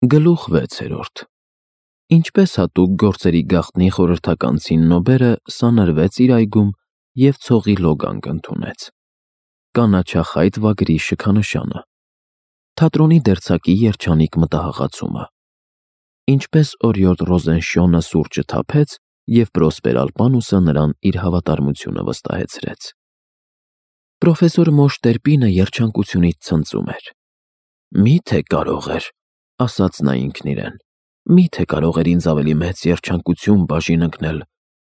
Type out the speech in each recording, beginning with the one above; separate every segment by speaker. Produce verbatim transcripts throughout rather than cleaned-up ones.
Speaker 1: Գլուխ վեցերորդ Ինչպես հատուկ գործերի գաղտնի խորհրդական ցիննոբերը սանրվեց իր այգում և ցողի լոգանք ընդունեց. կանաչախայտ վագրի շքանշանը, թատրոնի դերձակի երջանիկ մտահղացումը, ինչպես օրիորդ Ռոզենշյոնը սուրճը թափեց, և Պրոսպեր Ալպանուսը նրան իր հավատարմությունը վստահեցրեց։ Պրոֆեսոր Մոշ Տերպինը երջանկությունից ցնծում էր. «Մի՞թե կարող էր, ասաց նա ինքն իրեն, մի՞թե կարող էր ինձ ավելի մեծ երջանկություն բաժին ընկնել,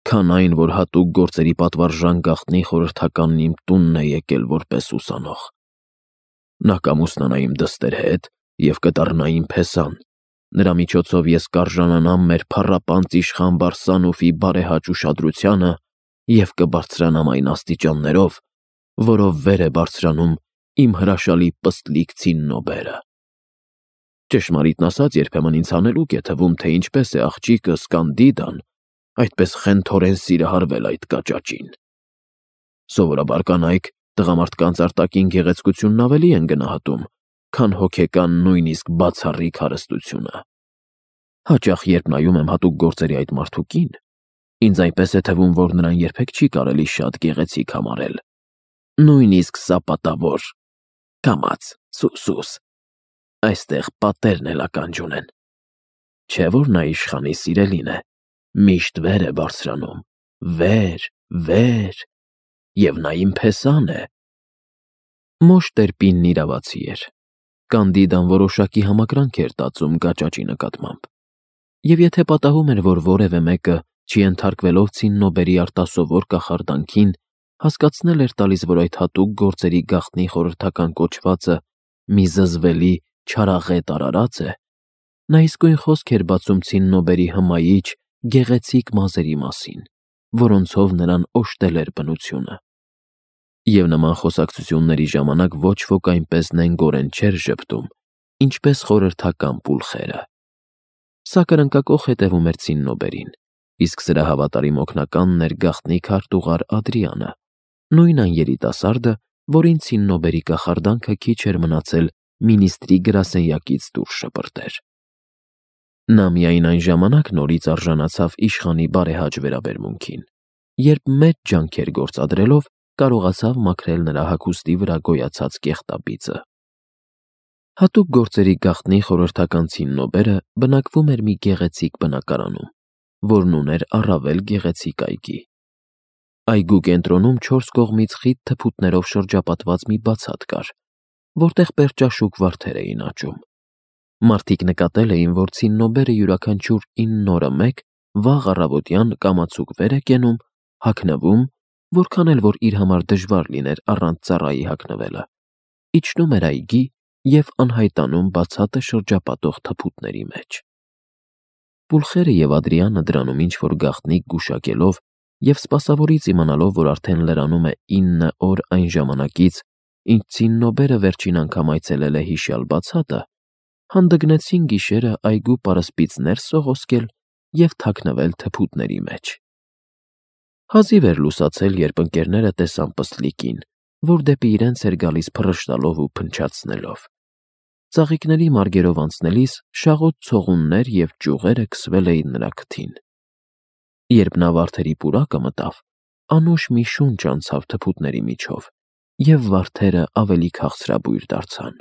Speaker 1: քան այն, որ հատուկ գործերի պատվարժան գաղտնի խորհրդականն իմ տունն է եկել որպես ուսանող։ Նա կամուսնանա իմ դստեր հետ և կդառնա իմ փեսան, նրա միջոցով ես կարժանանամ մեր փառապանծ իշխան Բարսանուֆի բարեհաճ ուշադրությանը և կբարձրանամ այն աստիճաններով, որով վեր է բարձրանում իմ հրաշալի պստլիկ ցիննոբերը։ Ճշմարիտն ասած, երբեմն ինձ հանելուկ է թվում, թե ինչպես է աղջիկս Կանդիդան այդպես խենթորեն սիրահարվել այդ կաճաճին։ Սովորաբար կանայք տղամարդկանց արտաքին գեղեցկությունն ավելի են գնահատում, քան հոգեկան, նույնիսկ բացառիկ հարստությունը։ Հաճախ, երբ նայում եմ հատուկ գործերի այդ մարդուկին, ինձ այնպես է թվում, որ նրան երբեք չի կարելի շատ գեղեցիկ համարել, նույնիսկ սապատավոր, կամաց, սուսուս, այստեղ պատերն էլ ականջ ունեն։ Չէ՞ որ նա իշխանի սիրելին է, միշտ վեր է բարձրանում, վեր, վեր, և նա իմ փեսան է»։ Մոշ Տերպինն իրավացի էր։ Կանդիդան որոշակի համակրանք էր տածում կաճաճի նկատմամբ, և եթե պատահում էր, որ որևէ մեկը, չենթարկվելով ցիննոբերի արտասովոր կախարդանքին, հասկացնել էր տալիս, որ այդ հատուկ գործերի գաղտնի խորհրդական կոչվածը մի զզվելի, չարաղետ արարած է, նա իսկույն խոսք էր բացում ցիննոբերի հմայիչ, գեղեցիկ մազերի մասին, որոնցով նրան օժտել էր բնությունը։ Եվ նման խոսակցությունների ժամանակ ոչ ոք այնպես նենգորեն չէր ժպտում, ինչպես խորհրդական պուլխերը։ Սա կրնկակոխ հետևում էր ցիննոբերին, իսկ սրա հավատարիմ օգնականն էր գաղտնի քարտուղար Ադրիանը, նույն այն երիտասարդը, որին ցիննոբերի կախարդանքը քիչ էր մնացել մինիստրի գրասենյակից դուրս շպրտեր։ Նա միայն այն ժամանակ նորից արժանացավ իշխանի բարեհաճ վերաբերմունքին, երբ մեծ ջանքեր գործադրելով կարողացավ մաքրել նրա հագուստի վրա գոյացած կեղտաբիծը։ Հատուկ գործերի գաղտնի խորհրդական ցիննոբերը բնակվում էր մի գեղեցիկ բնակարանում, որն ուներ առավել գեղեցիկ այգի։ Այգու կենտրոնում չորս կողմից խիտ թփուտներով շրջապատված մի բացատ կար, որտեղ պերճաշուք վարդեր էին աճում։ Մարդիկ նկատել էին, որ ցիննոբերը յուրաքանչյուր ինն օրը մեկ վաղ առավոտյան կամացուկ վեր է կենում, հագնվում, որքան էլ որ իր համար դժվար լիներ առանց ծառայի հագնվելը, իջնում էր այգի և անհայտանում բացատը շրջապատող թփուտների մեջ։ Պուլխերը և Ադրիանը դրանում ինչ-որ գաղտնիք գուշակելով և սպասավորից իմանալով, որ արդեն լրանում է ինը օր այն ժամանակից, ինչ ցիննոբերը վերջին անգամ այցելել է հիշյալ բացատը, հանդգնեցին գիշերը այգու պարսպից ներս սողոսկել և թաքնվել թփուտների մեջ։ Հազիվ էր լուսացել, երբ ընկերները տեսան պստլիկին, որ դեպի իրենց էր գալիս փռշտալով ու փնչացնելով։ Ծաղիկների մարգերով անցնելիս շաղոտ ցողուններ և ճյուղերը քսվել էին նրա քթին։ Երբ նա վարդերի պուրակը մտավ, անուշ մի շունչ անցավ թփուտների միջով, և վարդերը ավելի քաղցրաբույր դարձան։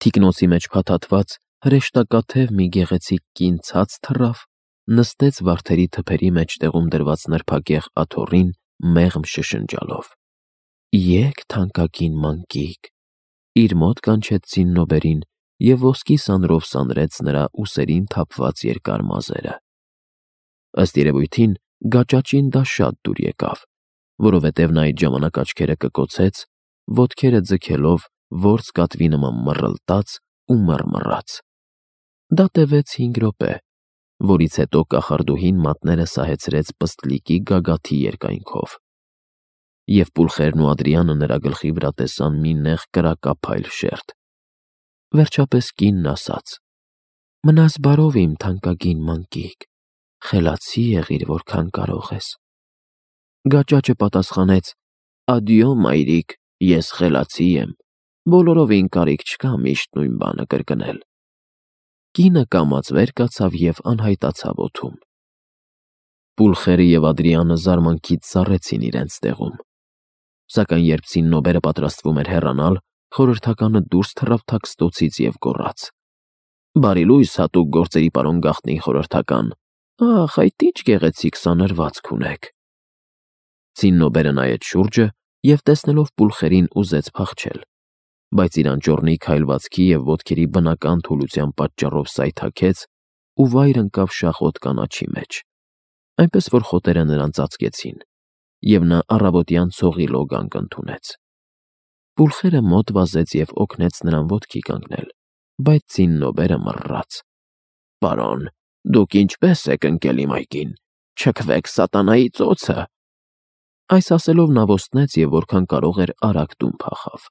Speaker 1: Թիկնոցի մեջ փաթաթված հրեշտակաթև մի գեղեցիկ կին ցած թռավ, նստեց վարդերի թփերի մեջտեղում դրված նրբագեղ աթոռին մեղմ շշնջալով։ «Եկ, թանկագին մանկիկ», իր մոտ կանչեց ցիննոբերին և ոսկի սանրով սանրեց նրա ուսերին թափված երկար մազերը։ Ըստ երևույթին, գաճաճին դա շատ դուր եկավ, որովհետև նա այդ ժամանակ աչքերը կկոցեց, ոտքերը ձգելով որս կատվի նման մռլտաց ու մռմռաց։ Դա տևեց հինգ րոպե, որից հետո կախարդուհին մատները սահեցրեց պստլիկի գագաթի երկայնքով, և պուլխերն ու Ադրիանը նրա գլխի վրա տեսան մի նեղ կրակափայլ շերտ։ Վերջապես կինն ասաց. «Մնաս բարով, իմ թանկագին մանկիկ, խելացի եղիր, որքան կարող ես»։ Գաճաճը պատասխանեց. «Ադյո, մայրիկ, ես խելացի եմ, բոլորովին կարիք չկա միշտ նույն բանը կրկնել»։ Կինը կամաց վեր կացավ և անհայտացավ օդում։ Պուլխերը և Ադրիանը զարմանքից սառեցին իրենց տեղում։ Սակայն երբ Ցիննոբերը պատրաստվում էր հեռանալ, խորհրդականը դուրս թռավ թաքստոցից և գոռաց. «Բարի լույս հատուկ գործերի պարոն գաղտնի խորհրդական, ախ, այդ ինչ գեղեցիկ սանրվածք ունեք»։ Ցիննոբերը նայեց շուրջը և տեսնելով Պուլխերին ուզեց փախչել, բայց իր անճոռնի քայլվածքի և ոտքերի բնական թուլության պատճառով սայթաքեց ու վայր ընկավ շախոտ կանաչի մեջ, այնպես որ խոտերը նրան ծածկեցին, և նա առավոտյան ցողի լոգանք ընդունեց։ Պուլխերը մոտ վազեց և օգնեց նրան ոտքի կանգնել, բայց Ցիննոբերը մռռաց. «Պարոն, դուք ինչպե՞ս եք ընկել իմ այգին, չքվեք սատանայի ծոցը»։ Այս ասելով նա ոստնեց և որքան կարող էր արագ տուն փախավ։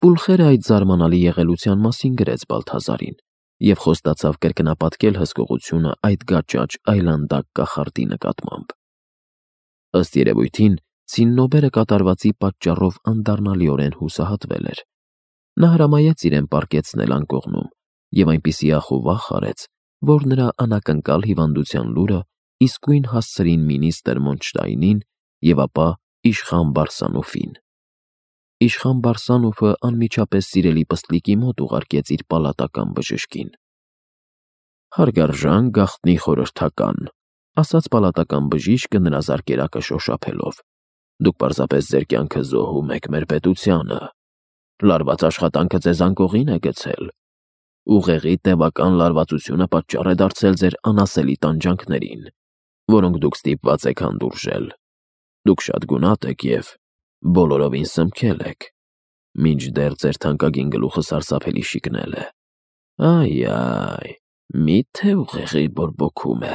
Speaker 1: Պուլխերը այդ զարմանալի եղելության մասին գրեց Բալթազարին և խոստացավ կրկնապատկել հսկողությունը այդ գաճաճ այլանդակ կախարդի նկատմամբ։ Ըստ երևույթին, Ցիննոբերը կատարվածի պատճառով անդառնալիորեն հուսահատվել էր։ Նա հրամայեց իրեն պառկեցնել անկողնում և այնպիսի ախ ու վախ արեց, որ նրա անակնկալ հիվանդության լուրը իսկույն հասցրին մինիստր Մոնշտայնին և ապա իշխան Բարսանուֆին։ Իշխան Բարսանուֆը անմիջապես սիրելի պստլիկի մոտ ուղարկեց իր պալատական բժշկին։ «Հարգարժան գաղտնի խորհրդական», ասաց պալատական բժիշկը նրա զարկերակը շոշափելով, «դուք պարզապես ձեր կյանքը զոհում եք մեր պետությանը։ Լարված աշխատանքը ձեզ անկողին է գցել։ Ուղեղի տևական լարվածությունը պատճառ է դարձել ձեր անասելի տանջանքներին, որոնք դուք ստիպված եք հանդուրժել։ Դուք շատ գունատ եք և բոլորովին սնմքել եք, մինչդեռ ձեր թանկագին գլուխը սարսափելի շիկնել է։ Այ-այ, մի՞թե ուղեղի բորբոքում է։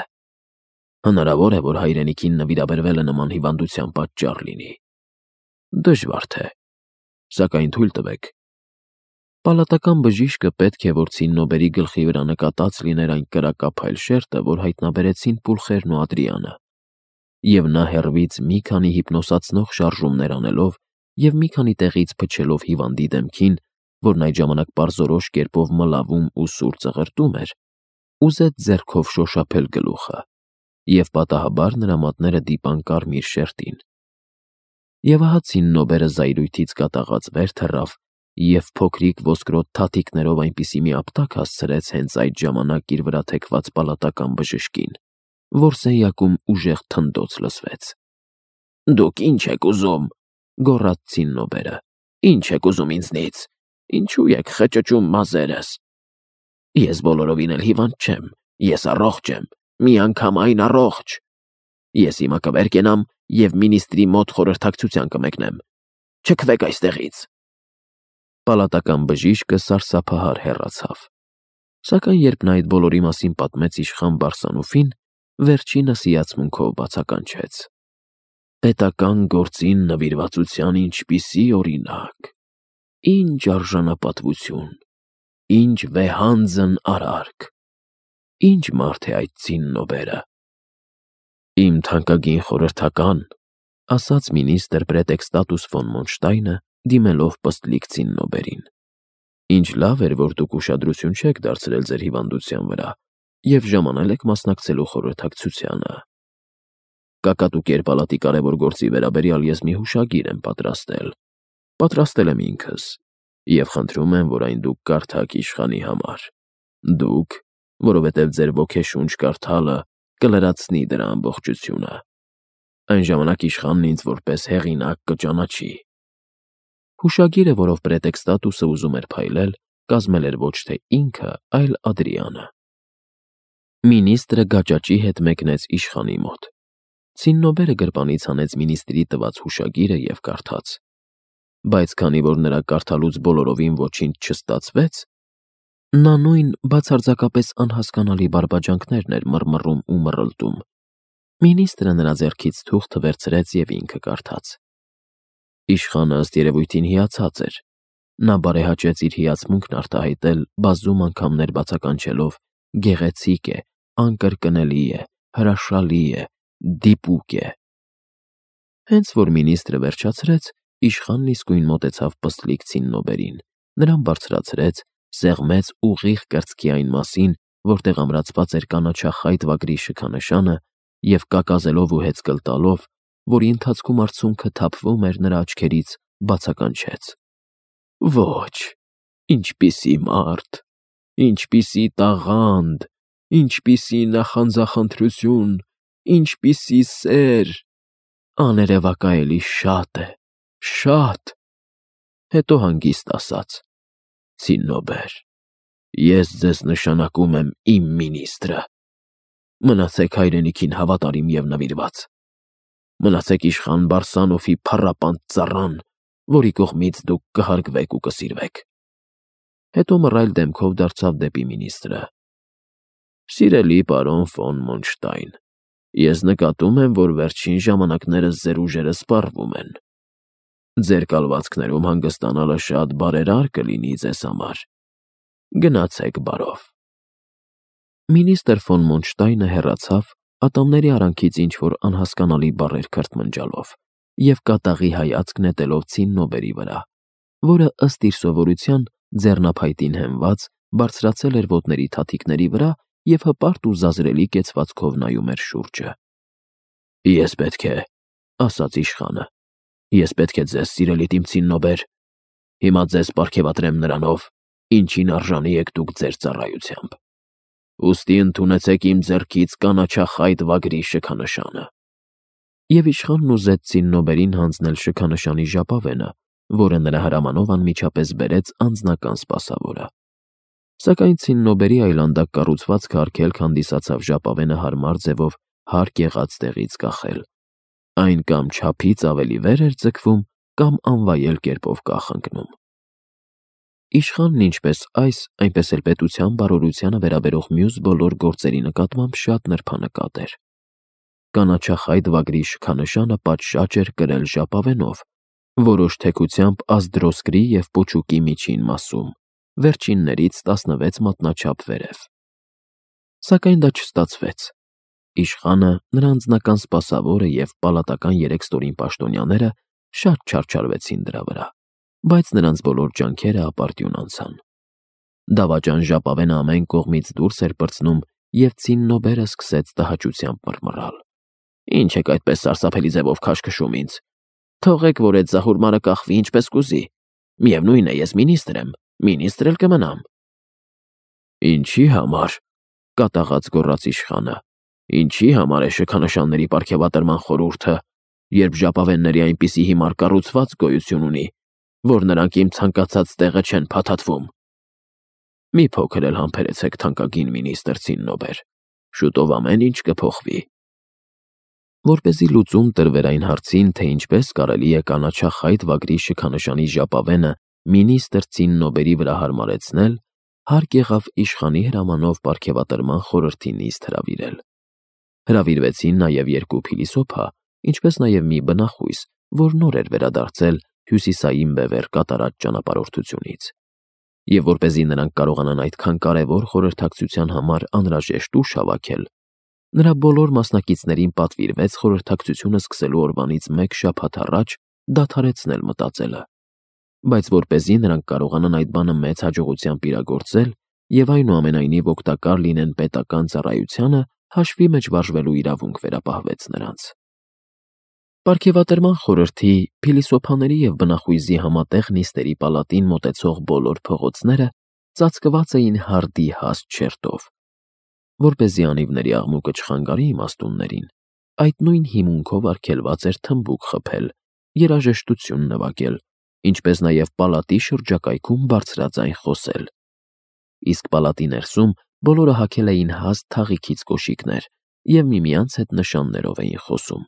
Speaker 1: Հնարավոր է, որ հայրենիքին նվիրաբերվելը նման հիվանդության պատճառ լինի։ Դժվար թե, սակայն թույլ տվեք»։ Պալատական բժիշկը պետք է որ Ցիննոբերի գլխի վրա նկատած լիներ այն կրակափայլ շերտը, որ հայտնաբերեցին Պուլխերն ու Ադրիանը, և նա հեռվից մի քանի հիպնոսացնող շարժումներ անելով և մի քանի տեղից փչելով հիվանդի դեմքին, որն այդ ժամանակ պարզորոշ կերպով մլավում ու սուր ծղրտում էր, ուզեց ձեռքով շոշափել գլուխը, և պատահաբար նրա մատները դիպան կարմիր շերտին։ Եվ ահա Ցիննոբերը զայրույթից կատաղած վեր թռավ և փոքրիկ ոսկրոտ թաթիկներով այնպիսի մի ապտակ հասցրեց հենց այդ ժամանակ իր վրա թեքված պալատական բժշկին, որ սենյակում ուժեղ թնդոց լսվեց։ «Դուք ի՞նչ եք ուզում», գոռաց Ցիննոբերը։ «Ի՞նչ եք ուզում ինձնից, ինչու եք խճճում մազերս։ Ես բոլորովին էլ հիվանդ չեմ, ես առողջ եմ, միանգամայն առողջ։ Ես հիմա կվեր կենամ և մինիստրի մոտ խորհրդակցության կմեկնեմ։ Չքվեք այստեղից»։ Պալատական բժիշկը սարսափահար հեռացավ։ Սակայն երբ նա այդ բոլորի մասին պատմեց իշխան Բարսանուֆին, վերջինս հիացմունքով բացականչեց. «Պետական գործին նվիրվածության ինչպիսի օրինակ, ինչ արժանապատվություն, ինչ վեհանձն արարք, ինչ մարդ է այդ Ցիննոբերը»։ «Իմ թանկագին խորհրդական», ասաց մինիստր Պրետեքստատուս ֆոն Մոնշտայնը, դիմելով պստլիկ Ցիննոբերին, «ինչ լավ էր, որ դուք ուշադրություն չեք դարձրել ձեր հիվանդության վրա և ժամանել եք մասնակցելու խորհրդակցությանը։ Կակատու կերպալատի կարևոր գործի վերաբերյալ ես մի հուշագիր եմ պատրաստել։ Պատրաստել եմ ինքս և խնդրում եմ, որ այն դուք կարդաք իշխանի համար։ Դուք, որովհետև ձեր ոգեշունչ կարդալը կլրացնի դրա ամբողջությունը։ Այն ժամանակ իշխանն ինձ որպես հեղինակ կճանաչի»։ Հուշագիրը, որով Պրետեքստատուսը ուզում էր փայլել, կազմել էր ոչ թե ինքը, այլ Ադրիանը։ Մինիստրը գաճաճի հետ մեկնեց իշխանի մոտ։ Ցիննոբերը գրպանից հանեց մինիստրի տված հուշագիրը և կարդաց։ Բայց քանի որ նրա կարդալուց բոլորովին ոչինչ չստացվեց, նա նույն բացարձակապես անհասկանալի բարբաջանքներն էր մռմռում ու մռլտում, մինիստրը նրա ձեռքից թուղթը վերցրեց և ինքը կարդաց։ Իշխանը ըստ երևույթին հիացած էր։ Նա բարեհաճեց իր հիացմունքն արտահայտել բազում անգամներ բացականչելով. «Գեղեցիկ է, անկրկնելի է, հրաշալի է, դիպուկ է»։ Հենց որ մինիստրը վերջացրեց, իշխանն իսկույն մոտեցավ պստլիկ Ցիննոբերին, նրան բարձրացրեց սեղմեց ուղիղ կրծքի այն մասին, որտեղ ամրացված էր կանաչախայտ վագրի շքանշանը և կակազելով ու հեծկլ տալով, որի ընթացքում արցունքը թափվում էր նրա աչքերից, բացականչեց. «Ոչ, ինչպիսի մարդ, ինչպիսի տաղանդ, ինչպիսի նախանձախնդրություն, ինչպիսի սեր, աներևակայելի շատ է, շատ»։ Հետո հանգիստ ասաց. «Ցիննոբեր, ես ձեզ նշանակում եմ իմ մինիստրը։ Մնացեք հայրենիքին հավատարիմ և նվիրված։ Մնացեք իշխան Բարսանոֆի փառապանտ ծառան, որի կողմից դուք կհարգվեք ու կսիրվեք»։ Հետո մռայլ դեմքով դարձավ դեպի մինիստրը. «Սիրելի պարոն ֆոն Մոնշտայն, ես նկատում եմ, որ վերջին ժամանակներս ձեր ուժերը սպառվում են։ Ձեր կալվածքներում հանգստանալը շատ բարերար կլինի ձեզ համար։ Գնացեք բարով»։ Մինістր ֆոն Մոնշտայնը հեռացավ, ատամների արանքից ինչ-որ անհասկանալի բառեր քրթմնջալով և կատաղի հայացք նետելով Ցիննոբերի վրա, որը, ըստ իր սովորության, ձեռնափայտին հենված, բարձրացել էր ոտների թաթիկների վրա և հպարտ ու զազրելի կեցվածքով նայում էր շուրջը։ «Ես պետք է,- ասաց իշխանը,- ես պետք է ձեզ, սիրելի տիմ Ցիննոբեր, հիմա ձեզ պարգևատրեմ նրանով, ինչին արժանի եք դուք ձեր ծառայությամբ։ Ուստի ընդունեցեք իմ ձեռքից կանաչախայտ վագրի շքանշանը»։ Եվ իշխանն ուզեց Ցիննոբերին հանձնել շքանշանի ժապավենը, որը նրա հրամանով անմիջապես բերեց անձնական սպասավորը։ Սակայն Ցիննոբերի այլանդակ կառուցվածքը արգելք հանդիսացավ ժապավենը հարմար ձևով հարկ եղած տեղից կախել։ Այն կամ չափից ավելի վեր էր ձգվում, կամ անվայել կերպով կախընկնում։ Իշխանն ինչպես այս, այնպես էլ պետության բարօրությանը վերաբերող մյուս բոլոր գործերի նկատմամբ շատ նրբանկատ էր։ Կանաչախայտ վագրի շքանշանը պատշաճ էր կրել ժապավենով, որոշ թեքությամբ ազդրոսկրի և պոչուկի միջին մասում, վերջիններից տասնվեց մատնաչափ վերև։ Սակայն դա չստացվեց։ Իշխանը, նրա անձնական սպասավորը և պալատական երեք ստորին պաշտոնյաները շատ չարչարվեցին դրա վրա, բայց նրանց բոլոր ջանքերը ապարդյուն անցան։ Դավաճան ժապավենը ամեն կողմից դուրս էր պրծնում, և Ցիննոբերը սկսեց տհաճությամբ մռմռալ. «Ինչ եք այդպես սարսափելի ձևով քաշքշում ինձ։ Թողեք, որ էդ զահուրմարը կախվի ինչպես կուզի։ Միևնույն է, ես մինիստր եմ, մինիստր էլ կմնամ»։ «Ինչի համար,- կատաղած գոռաց իշխանը,- ինչի համար է շքանշանների պարգևատրման խորհուրդը, երբ ժապավենների այնպիսի հիմար կառուցվածք գոյություն ունի, որ նրանք իմ ցանկացած տեղը չեն փաթաթվում։ Մի փոքր էլ համբերեցեք, թանկագին մինістր Ցիննոբեր, շուտով ամեն ինչ կփոխվի»։ Որպեսզի լուծում տրվեր այն հարցին, թե ինչպես կարելի է կանաչախայտ վագրի շքանշանի ժապավենը մինістր Ցիննոբերի վրա հարմարեցնել, հարկ եղավ իշխանի հրամանով պարգևատրման խորհրդի նիստ հրավիրել։ Հրավիրվեցին նաև երկու փիլիսոփա, ինչպես նաև մի բնախույս, որ նոր էր վերադարձել Հյուսիսային Բևեռ կատարած ճանապարհորդությունից։ Եվ որպեսզի նրանք կարողանան այդքան կարևոր խորհրդակցության համար անհրաժեշտ ուժ հավաքել, նրա բոլոր մասնակիցներին պատվիրվեց խորհրդակցությունը սկսելու օրվանից մեկ շաբաթ առաջ դադարեցնել մտածելը։ Բայց որպեսզի նրանք կարողանան այդ բանը մեծ հաջողությամբ իրագործել և այնուամենայնիվ օգտակար լինեն պետական ծառայությանը, հաշվի մեջ վարժվելու իրավունք վերապահվեց նրանց։ Պարգևատրման խորհրդի, փիլիսոփաների և բնախույզի համատեղ նիստերի պալատին մոտեցող բոլոր փողոցները ծածկված էին հարդի հաստ շերտով։ Որպեսզի անիվների աղմուկը չխանգարի իմաստուններին, այդ նույն հիմունքով արգելված էր թմբուկ խփել, երաժշտություն նվագել, ինչպես նաև պալատի շրջակայքում բարձրաձայն խոսել։ Իսկ պալատի ներսում բոլորը հագել էին հաստ թաղիքից կոշիկներ և միմյանց հետ նշաններով էին խոսում։